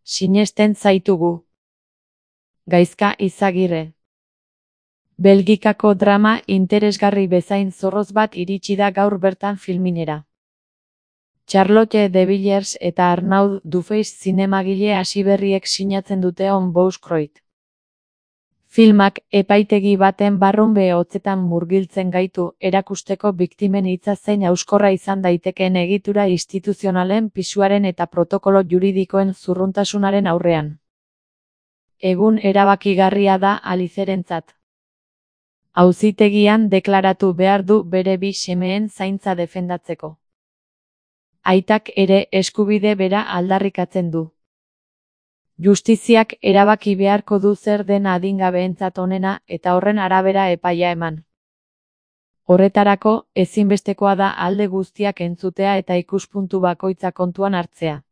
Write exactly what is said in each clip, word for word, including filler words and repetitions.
Sinesten zaitugu. Gaizka Izagirre. Belgikako drama interesgarri bezain zorroz bat iritsi da gaur bertan filminera. Charlotte de Villiers eta Arnaud Dufeix zinemagile hasiberriek sinatzen dute On Bouche-Croix. Filmak epaitegi baten barrunbe hotzetan murgiltzen gaitu erakusteko biktimen hitza zein hauskorra izan daitekeen egitura instituzionalen pisuaren eta protokolo juridikoen zurruntasunaren aurrean. Egun erabakigarria da Alicerentzat. Auzitegian deklaratu behar du bere bi semeen zaintza defendatzeko. Aitak ere eskubide bera aldarrikatzen du. Justiziak erabaki beharko du zer den adingabeentzat onena eta horren arabera epaia eman. Horretarako, ezinbestekoa da alde guztiak entzutea eta ikuspuntu bakoitza kontuan hartzea.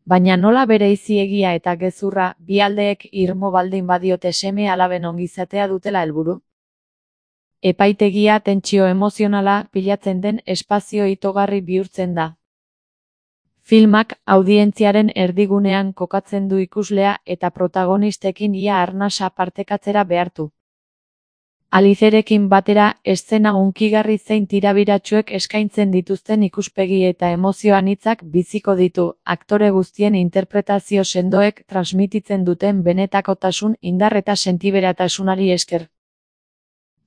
Baina nola bereizi egia eta gezurra bi aldeek irmo baldin badiote seme alaben ongizatea dutela helburu? Epaitegia tentsio emozionala pilatzen den espazio itogarri bihurtzen da. Filmak audientziaren erdigunean kokatzen du ikuslea eta protagonistekin ia arnasa partekatzera behartu. Alicerekin batera eszena hunkigarri zein tirabiratsuek eskaintzen dituzten ikuspegi eta emozio anitzak biziko ditu, aktore guztien interpretazio sendoek transmititzen duten benetakotasun, indar eta sentiberatasunari esker.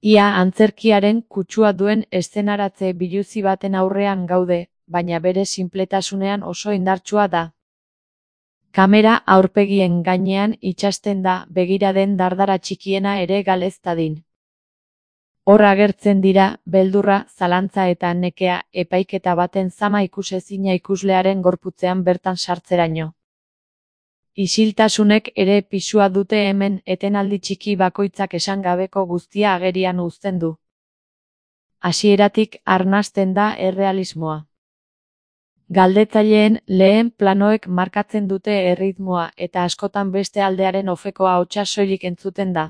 Ia antzerkiaren kutsua duen eszenaratze biluzi baten aurrean gaude, baina bere sinpletasunean oso indartsua da. Kamera aurpegien gainean itsasten da begiraden dardara txikiena ere galez dadin. Hor agertzen dira, beldurra, zalantza eta nekea, epaiketa baten zama ikusezina ikuslearen gorputzean bertan sartzeraino. Isiltasunek ere pisua dute hemen etenaldi txiki bakoitzak esan gabeko guztia agerian uzten du. Hasieratik arnasten da errealismoa. Galdetzaileen lehen planoek markatzen dute erritmoa eta askotan beste aldearen ofeko ahotsa soilik entzuten da.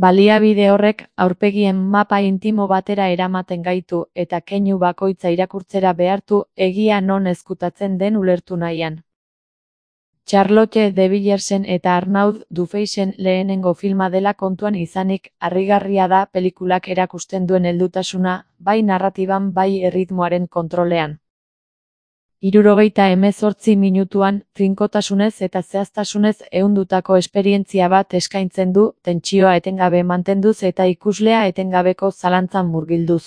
Baliabide horrek aurpegien mapa intimo batera eramaten gaitu eta keinu bakoitza irakurtzera behartu egia non ezkutatzen den ulertu nahian. Charlotte de Villersen eta Arnaud Dufeixen lehenengo filma dela kontuan izanik harrigarria da pelikulak erakusten duen heldutasuna, bai narratiban bai erritmoaren kontrolean. Hirurogeita hemezortzi minutuan, trinkotasunez eta zehaztasunez ehundutako esperientzia bat eskaintzen du, tentsioa etengabe mantenduz eta ikuslea etengabeko zalantzan murgilduz.